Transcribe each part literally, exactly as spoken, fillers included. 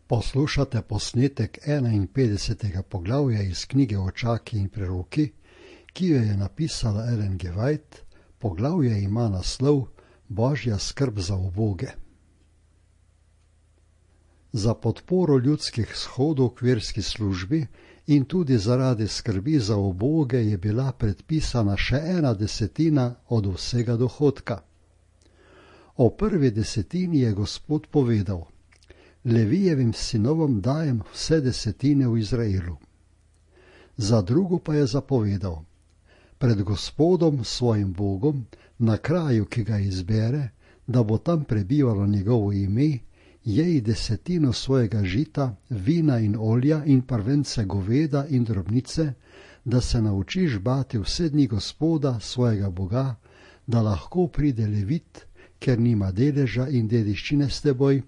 Poslušate posnetek enainpetdesetega poglavja iz knjige Očaki in preroki, ki jo je napisala Ellen G. White. Poglavje ima naslov Božja skrb za uboge. Za podporo ljudskih shodov k verski službi in tudi zaradi skrbi za uboge je bila predpisana še ena desetina od vsega dohodka. O prvi desetini je Gospod povedal: Levijevim sinovom dajem vse desetine v Izraelu. Za drugo pa je zapovedal: pred Gospodom svojim Bogom, na kraju, ki ga izbere, da bo tam prebivalo njegovo ime, jej desetino svojega žita, vina in olja in prvence goveda in drobnice, da se naučiš bati vse dni Gospoda svojega Boga, da lahko pride Levit, ker nima deleža in dediščine s teboj,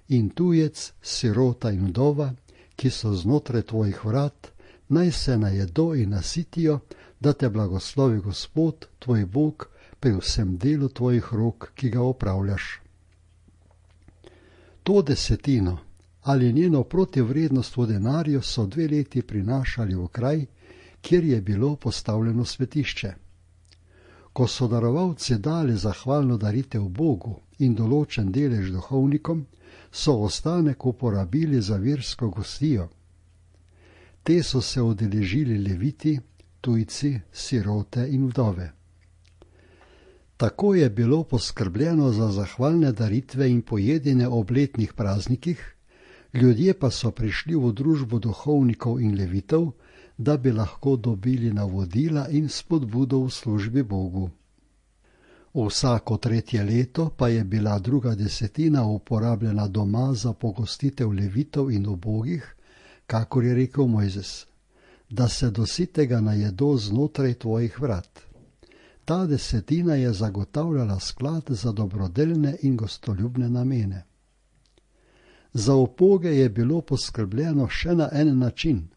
in tujec, sirota in vdova, ki so znotraj tvojih vrat, naj se najedo in nasitijo, da te blagoslovi Gospod, tvoj Bog, pri vsem delu tvojih rok, ki ga opravljaš. To desetino ali njeno protivrednost v denarju so dve leti prinašali v kraj, kjer je bilo postavljeno svetišče. Ko so darovalci dali zahvalno daritev Bogu in določen delež duhovnikom, so ostanek uporabili za versko gostijo. Te so se udeležili leviti, tujci, sirote in vdove. Tako je bilo poskrbljeno za zahvalne daritve in pojedine ob letnih praznikih, ljudje pa so prišli v družbo duhovnikov in levitov, da bi lahko dobili navodila in spodbudo v službi Bogu. Vsako tretje leto pa je bila druga desetina uporabljena doma za pogostitev levitov in ubogih, kakor je rekel Mojzes, da se do sitega najedo znotraj tvojih vrat. Ta desetina je zagotavljala sklad za dobrodelne in gostoljubne namene. Za uboge je bilo poskrbljeno še na en način.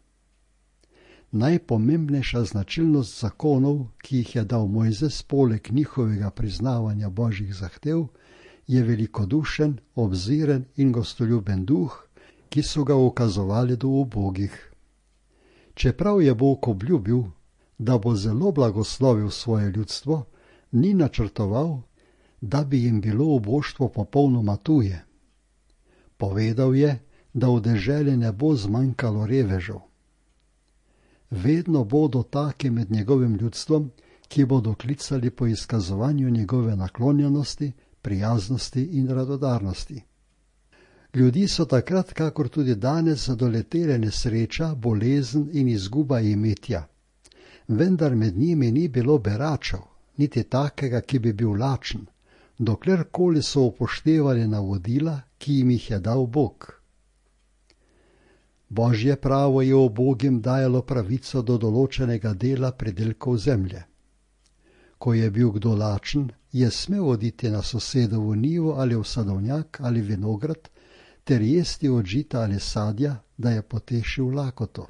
Najpomembnejša značilnost zakonov, ki jih je dal Mojzes poleg njihovega priznavanja božjih zahtev, je velikodušen, obziren in gostoljuben duh, ki so ga ukazovali do ubogih. Čeprav je Bog obljubil, da bo zelo blagoslovil svoje ljudstvo, ni načrtoval, da bi jim bilo uboštvo popolnoma tuje. Povedal je, da v deželi ne bo zmanjkalo revežev. Vedno bodo taki med njegovim ljudstvom, ki bodo klicali po izkazovanju njegove naklonjenosti, prijaznosti in radodarnosti. Ljudi so takrat, kakor tudi danes, doletele nesreča, bolezen in izguba imetja. Vendar med njimi ni bilo beračev, niti takega, ki bi bil lačen, doklerkoli so upoštevali navodila, ki jim jih je dal Bog. Božje pravo je ubogim dajalo pravico do določenega dela pridelkov zemlje. Ko je bil kdo lačen, je smel oditi na sosedovo njivo ali v sadovnjak ali vinograd, ter jesti od žita ali sadja, da je potešil lakoto.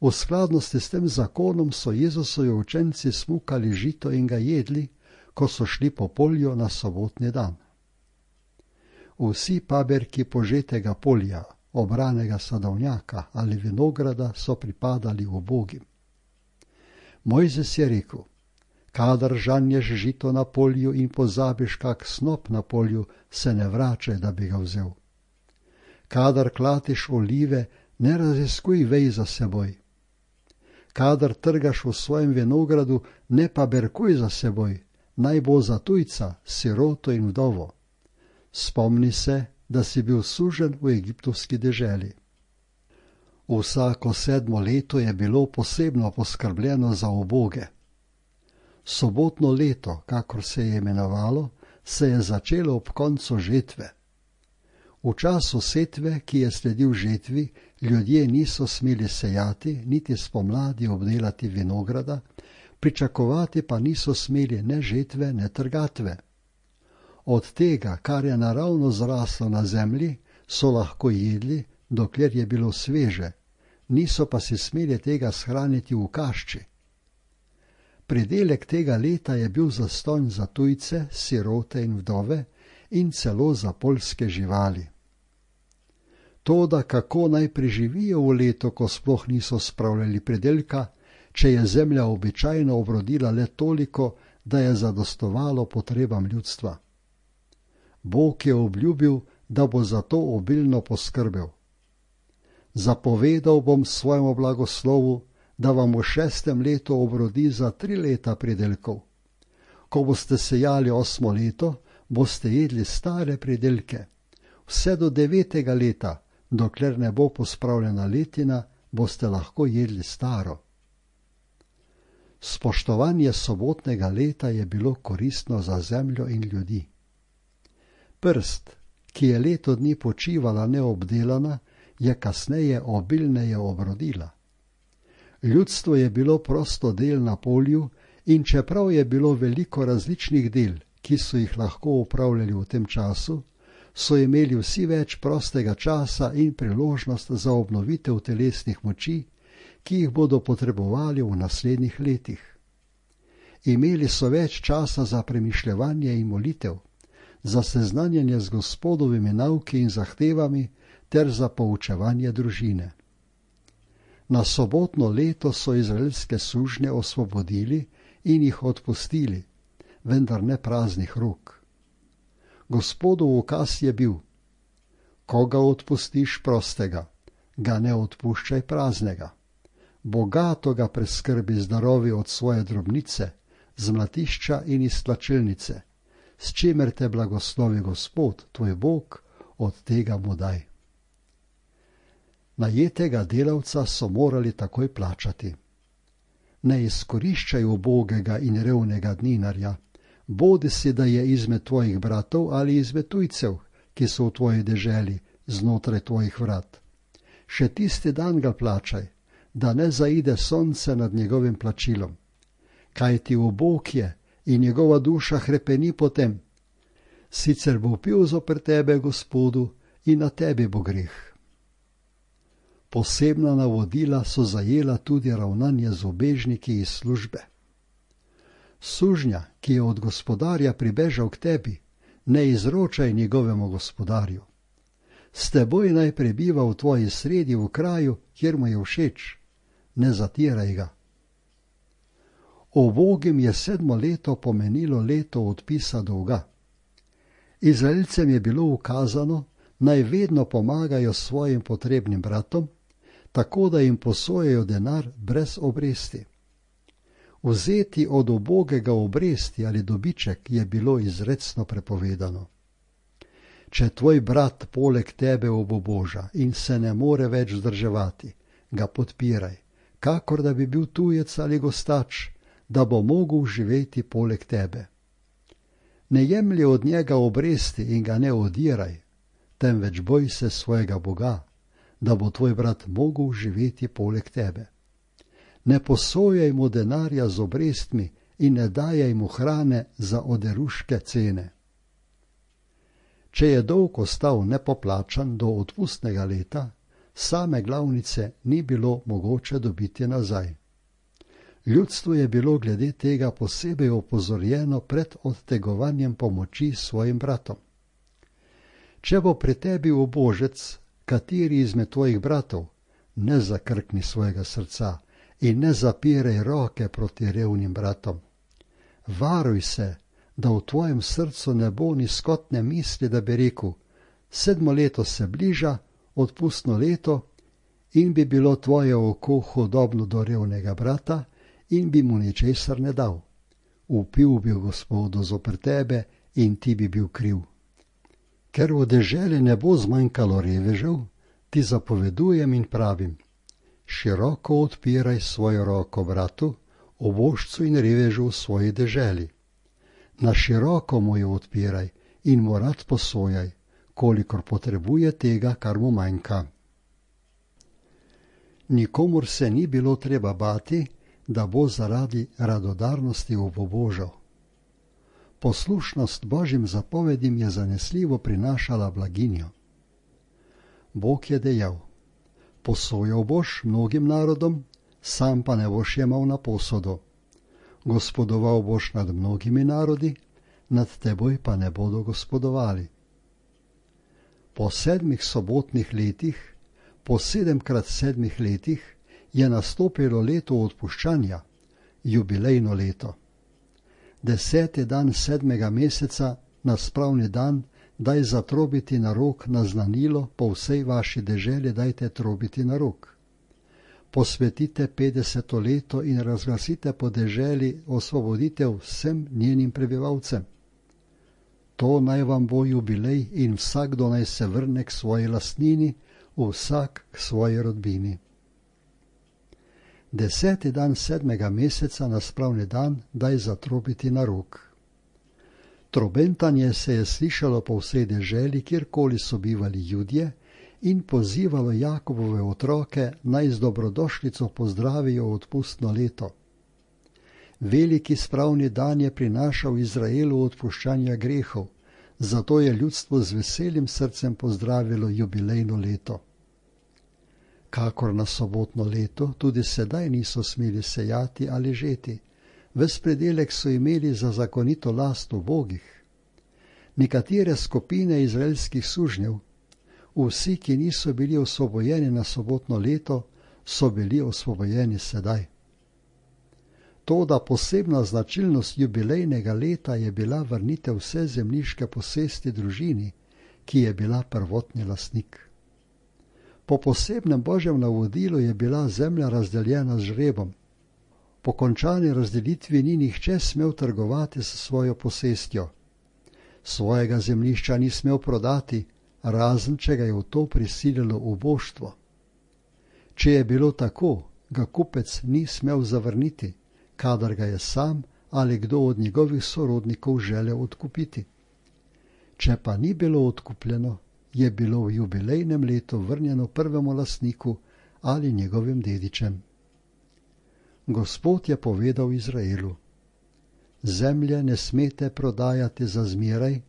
V skladnosti s tem zakonom so Jezusovi učenci smukali žito in ga jedli, ko so šli po polju na sobotni dan. Vsi paberki požetega polja, obranega sadovnjaka ali vinograda so pripadali ubogim. Mojzes je rekel: kadar žanješ žito na polju in pozabiš kak snop na polju, se ne vračaj, da bi ga vzel. Kadar klatiš olive, ne raziskuj vej za seboj. Kadar trgaš v svojem vinogradu, ne paberkuj za seboj, naj bo za tujca, siroto in vdovo. Spomni se, da si bil suženj v egiptovski deželi. Vsako sedmo leto je bilo posebno poskrbljeno za uboge. Sobotno leto, kakor se je imenovalo, se je začelo ob koncu žetve. V času setve, ki je sledil žetvi, ljudje niso smeli sejati, niti spomladi obdelati vinograda, pričakovati pa niso smeli ne žetve, ne trgatve. Od tega, kar je naravno zraslo na zemlji, so lahko jedli, dokler je bilo sveže, niso pa si smeli tega shraniti v kašči. Pridelek tega leta je bil zastonj za tujce, sirote in vdove in celo za poljske živali. Toda kako naj preživijo v letu, ko sploh niso spravljali pridelka, če je zemlja običajno obrodila le toliko, da je zadostovalo potrebam ljudstva? Bog je obljubil, da bo za to obilno poskrbel. Zapovedal bom svojemu blagoslovu, da vam v šestem letu obrodi za tri leta pridelkov. Ko boste sejali osmo leto, boste jedli stare pridelke. Vse do devetega leta, dokler ne bo pospravljena letina, boste lahko jedli staro. Spoštovanje sobotnega leta je bilo koristno za zemljo in ljudi. Prst, ki je leto dni počivala neobdelana, je kasneje obilneje obrodila. Ljudstvo je bilo prosto del na polju in čeprav je bilo veliko različnih del, ki so jih lahko upravljali v tem času, so imeli vsi več prostega časa in priložnost za obnovitev telesnih moči, ki jih bodo potrebovali v naslednjih letih. Imeli so več časa za premišljevanje in molitev, za seznanjanje z Gospodovimi nauki in zahtevami ter za poučevanje družine. Na sobotno leto so izraelske sužnje osvobodili in jih odpustili, vendar ne praznih rok. Gospodov ukaz je bil: ko ga odpustiš prostega, ga ne odpuščaj praznega. Bogato ga preskrbi z darovi od svoje drobnice, z mlatišča in iz tlačilnice, s čimer te blagoslovi Gospod, tvoj Bog, od tega mu daj. Najetega delavca so morali takoj plačati. Ne izkoriščaj ubogega in revnega dninarja, bodi si, da je izmed tvojih bratov ali izmed tujcev, ki so v tvoji deželi, znotraj tvojih vrat. Še tisti dan ga plačaj, da ne zaide sonce nad njegovim plačilom. Kaj ti ubog je in njegova duša hrepeni potem? Sicer bo pil zoper tebe, Gospodu, in na tebi bo greh. Posebna navodila so zajela tudi ravnanje z ubežniki iz službe. Sužnja, ki je od gospodarja pribežal k tebi, ne izročaj njegovemu gospodarju. S teboj naj prebiva v tvoji sredi v kraju, kjer mu je všeč. Ne zatiraj ga. Ubogim je sedmo leto pomenilo leto odpisa dolga. Izraelcem je bilo ukazano, naj vedno pomagajo svojim potrebnim bratom, tako da jim posojajo denar brez obresti. Vzeti od ubogega obresti ali dobiček je bilo izrecno prepovedano. Če tvoj brat poleg tebe obuboža in se ne more več vzdrževati, ga podpiraj, kakor da bi bil tujec ali gostač, da bo mogel živeti poleg tebe. Ne jemlji od njega obresti in ga ne odiraj, temveč boj se svojega Boga, da bo tvoj brat mogel živeti poleg tebe. Ne posojaj mu denarja z obrestmi in ne dajaj mu hrane za oderuške cene. Če je dolg ostal nepoplačan do odpustnega leta, same glavnice ni bilo mogoče dobiti nazaj. Ljudstvo je bilo glede tega posebej opozorjeno pred odtegovanjem pomoči svojim bratom. Če bo pri tebi ubožec, kateri izmed tvojih bratov, ne zakrkni svojega srca in ne zapiraj roke proti revnim bratom. Varuj se, da v tvojem srcu ne bo ni skotne misli, da bi rekel: sedmo leto se bliža, odpustno leto, in bi bilo tvoje oko hudobno do revnega brata in bi mu ničesar ne dal. Vpil bi Gospodu zoper tebe in ti bi bil kriv. Ker v deželi ne bo zmanjkalo revežev, ti zapovedujem in pravim: široko odpiraj svojo roko bratu, obožcu in revežu v svoji deželi. Na široko mu jo odpiraj in mu rad posojaj, kolikor potrebuje tega, kar mu manjka. Nikomur se ni bilo treba bati, da bo zaradi radodarnosti obobožal. Poslušnost Božjim zapovedim je zanesljivo prinašala blaginjo. Bog je dejal: posojal boš mnogim narodom, sam pa ne boš jemal na posodo. Gospodoval boš nad mnogimi narodi, nad teboj pa ne bodo gospodovali. Po sedmih sobotnih letih, po sedemkrat sedmih letih, je nastopilo leto odpuščanja, jubilejno leto. Deseti dan sedmega meseca, na spravni dan, daj zatrobiti na rog naznanilo, po vsej vaši deželi dajte trobiti na rog. Posvetite petdeseto leto in razglasite po deželi osvoboditev vsem njenim prebivalcem. To naj vam bo jubilej in vsakdo naj se vrne k svoji lastnini, vsak k svoji rodbini. Deseti dan sedmega meseca na spravni dan daj zatrobiti na rog. Trobentanje se je slišalo po vsej deželi, kjerkoli so bivali Judje, in pozivalo Jakobove otroke, naj z dobrodošlico pozdravijo odpustno leto. Veliki spravni dan je prinašal Izraelu odpuščanja grehov, zato je ljudstvo z veselim srcem pozdravilo jubilejno leto. Kakor na sobotno leto, tudi sedaj niso smeli sejati ali žeti, ves predelek so imeli za zakonito last ubogih. Nekatere skupine izraelskih sužnjev, vsi, ki niso bili osvobojeni na sobotno leto, so bili osvobojeni sedaj. Toda posebna značilnost jubilejnega leta je bila vrnitev vse zemljiške posesti družini, ki je bila prvotni lastnik. Po posebnem božjem navodilu je bila zemlja razdeljena z žrebom. Po končani razdelitvi ni nihče smel trgovati s svojo posestjo. Svojega zemljišča ni smel prodati, razen če ga je v to prisililo uboštvo. Če je bilo tako, ga kupec ni smel zavrniti, kadar ga je sam ali kdo od njegovih sorodnikov želel odkupiti. Če pa ni bilo odkupljeno, je bilo v jubilejnem letu vrnjeno prvemu lastniku ali njegovim dedičem. Gospod je povedal Izraelu: Zemlje ne smete prodajati za zmeraj,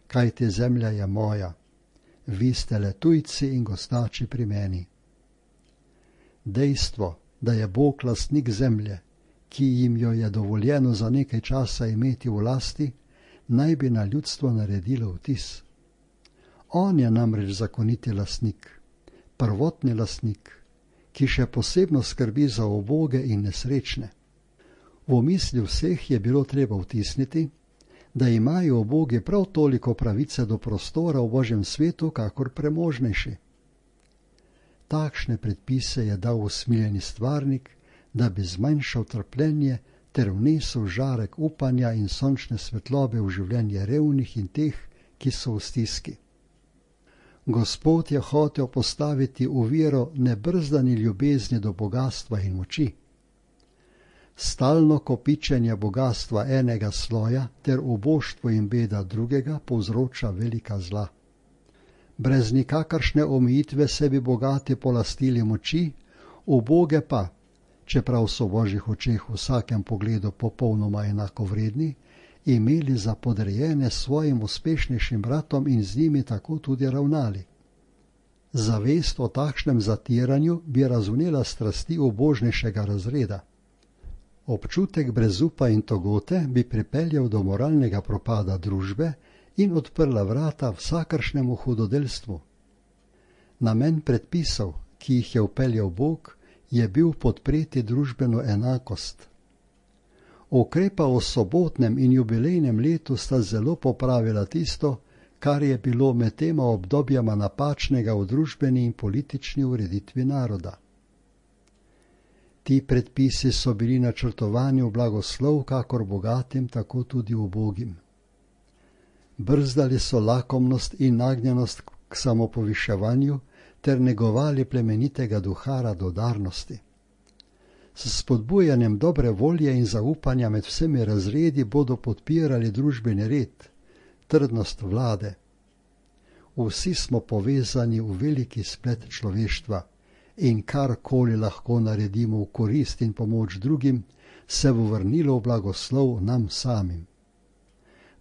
kajti zemlja je moja. Vi ste le tujci in gostači pri meni. Dejstvo, da je Bog lastnik zemlje, ki jim jo je dovoljeno za nekaj časa imeti v lasti, naj bi na ljudstvo naredilo vtis. On je namreč zakoniti lastnik, prvotni lastnik, ki še posebno skrbi za uboge in nesrečne. V misli vseh je bilo treba vtisniti, da imajo ubogi prav toliko pravice do prostora v Božjem svetu, kakor premožnejši. Takšne predpise je dal usmiljeni stvarnik, da bi zmanjšal trpljenje ter vnesel žarek upanja in sončne svetlobe v življenje revnih in teh, ki so v stiski. Gospod je hotel postaviti oviro nebrzdani ljubezni do bogastva in moči. Stalno kopičenje bogastva enega sloja ter uboštvo in beda drugega povzroča velika zla. Brez nikakršne omejitve se bi bogati polastili moči, uboge pa, čeprav so v Božjih očeh v vsakem pogledu popolnoma enakovredni, imeli za podrejene svojim uspešnejšim bratom in z njimi tako tudi ravnali. Zavest o takšnem zatiranju bi razvnela strasti ubožnejšega razreda. Občutek brezupa in togote bi pripeljal do moralnega propada družbe in odprla vrata vsakršnemu hudodelstvu. Namen predpisov, ki jih je vpeljal Bog, je bil podpreti družbeno enakost. Ukrepa o sobotnem in jubilejnem letu sta zelo popravila tisto, kar je bilo med tema obdobjama napačnega v družbeni in politični ureditvi naroda. Ti predpisi so bili načrtovani v blagoslov kakor bogatim, tako tudi ubogim. Brzdali so lakomnost in nagnjenost k samopoviševanju ter negovali plemenitega duha radodarnosti. S spodbujanjem dobre volje in zaupanja med vsemi razredi bodo podpirali družbeni red, trdnost vlade. Vsi smo povezani v veliki splet človeštva in karkoli lahko naredimo v korist in pomoč drugim, se bo vrnilo v blagoslov nam samim.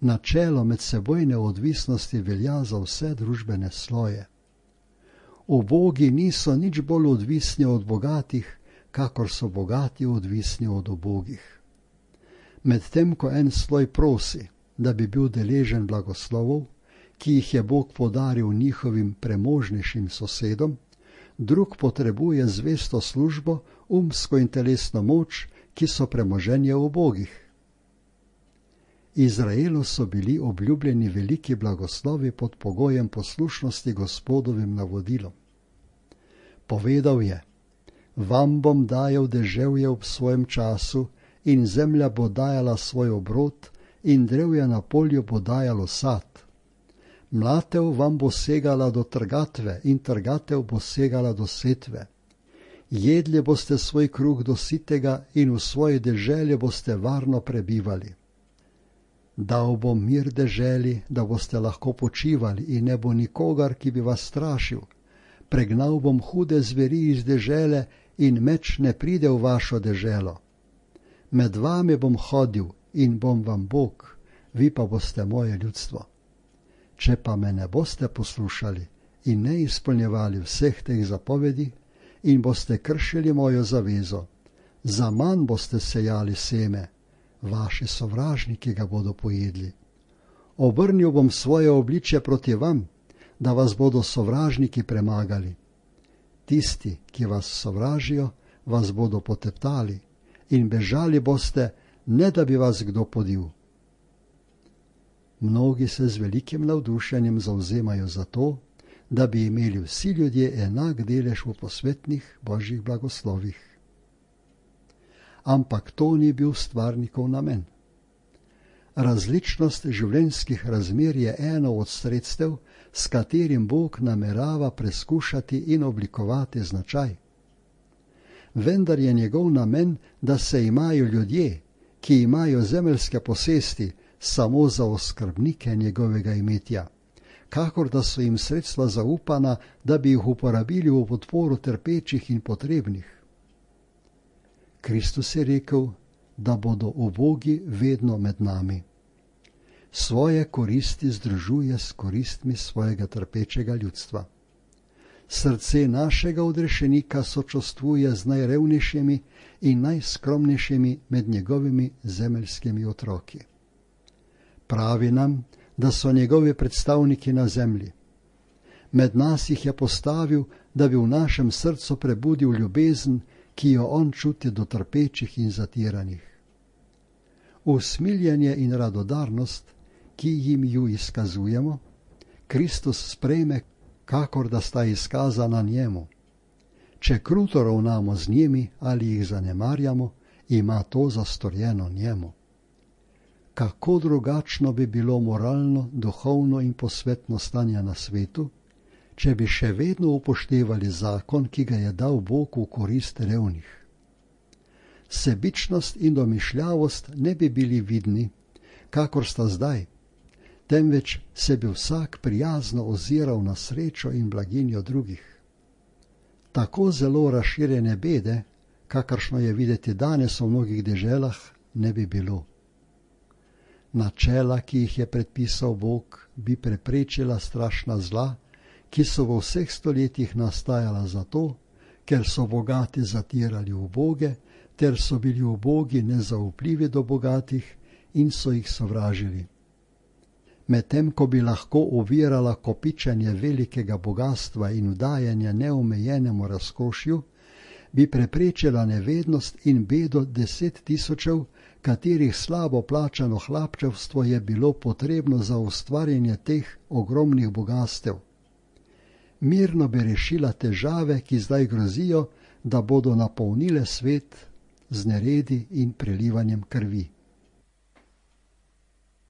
Načelo medsebojne odvisnosti velja za vse družbene sloje. Ubogi niso nič bolj odvisni od bogatih, kakor so bogati odvisni od ubogih. Medtem ko en sloj prosi, da bi bil deležen blagoslovov, ki jih je Bog podaril njihovim premožnejšim sosedom, drug potrebuje zvesto službo, umsko in telesno moč, ki so premoženje ubogih. Izraelu so bili obljubljeni veliki blagoslovi pod pogojem poslušnosti Gospodovim navodilom. Povedal je: vam bom dajal deževje ob svojem času in zemlja bo dajala svoj obrod in drevje na polju bo dajalo sad. Mlatev vam bo segala do trgatve in trgatev bo segala do setve. Jedli boste svoj kruh do sitega in v svoji deželi boste varno prebivali. Dal bom mir deželi, da boste lahko počivali in ne bo nikogar, ki bi vas strašil. Pregnal bom hude zveri iz dežele in meč ne pride v vašo deželo. Med vami bom hodil in bom vam Bog, vi pa boste moje ljudstvo. Če pa me ne boste poslušali in ne izpolnjevali vseh teh zapovedi in boste kršili mojo zavezo, za manj boste sejali seme, vaši sovražniki ga bodo pojedli. Obrnil bom svoje obličje proti vam, da vas bodo sovražniki premagali. Tisti, ki vas sovražijo, vas bodo poteptali in bežali boste, ne da bi vas kdo podil. Mnogi se z velikim navdušenjem zavzemajo za to, da bi imeli vsi ljudje enak delež v posvetnih božjih blagoslovih. Ampak to ni bil stvarnikov namen. Različnost življenjskih razmer je eno od sredstev, s katerim Bog namerava preskušati in oblikovati značaj. Vendar je njegov namen, da se imajo ljudje, ki imajo zemeljske posesti, samo za oskrbnike njegovega imetja, kakor da so jim sredstva zaupana, da bi jih uporabili v podporo trpečih in potrebnih. Kristus je rekel, da bodo ubogi vedno med nami. Svoje koristi združuje s koristmi svojega trpečega ljudstva. Srce našega odrešenika sočustvuje z najrevnejšimi in najskromnejšimi med njegovimi zemeljskimi otroki. Pravi nam, da so njegovi predstavniki na zemlji. Med nas jih je postavil, da bi v našem srcu prebudil ljubezen, ki jo on čuti do trpečih in zatiranih. Usmiljenje in radodarnost, ki jim ju izkazujemo, Kristus sprejme, kakor da sta izkazana njemu. Če kruto ravnamo z njimi ali jih zanemarjamo, ima to zastorjeno njemu. Kako drugačno bi bilo moralno, duhovno in posvetno stanje na svetu, če bi še vedno upoštevali zakon, ki ga je dal Bog v korist revnih. Sebičnost in domišljavost ne bi bili vidni, kakor sta zdaj, temveč se bi vsak prijazno oziral na srečo in blaginjo drugih. Tako zelo razširjene bede, kakršno je videti danes v mnogih deželah, ne bi bilo. Načela, ki jih je predpisal Bog, bi preprečila strašna zla, ki so v vseh stoletjih nastajala zato, ker so bogati zatirali uboge, ter so bili ubogi nezaupljivi do bogatih in so jih sovražili. Medtem ko bi lahko ovirala kopičenje velikega bogatstva in vdajanje neomejenemu razkošju, bi preprečila nevednost in bedo deset tisočev, katerih slabo plačano hlapčevstvo je bilo potrebno za ustvarjanje teh ogromnih bogastev. Mirno bi rešila težave, ki zdaj grozijo, da bodo napolnile svet z neredi in prelivanjem krvi.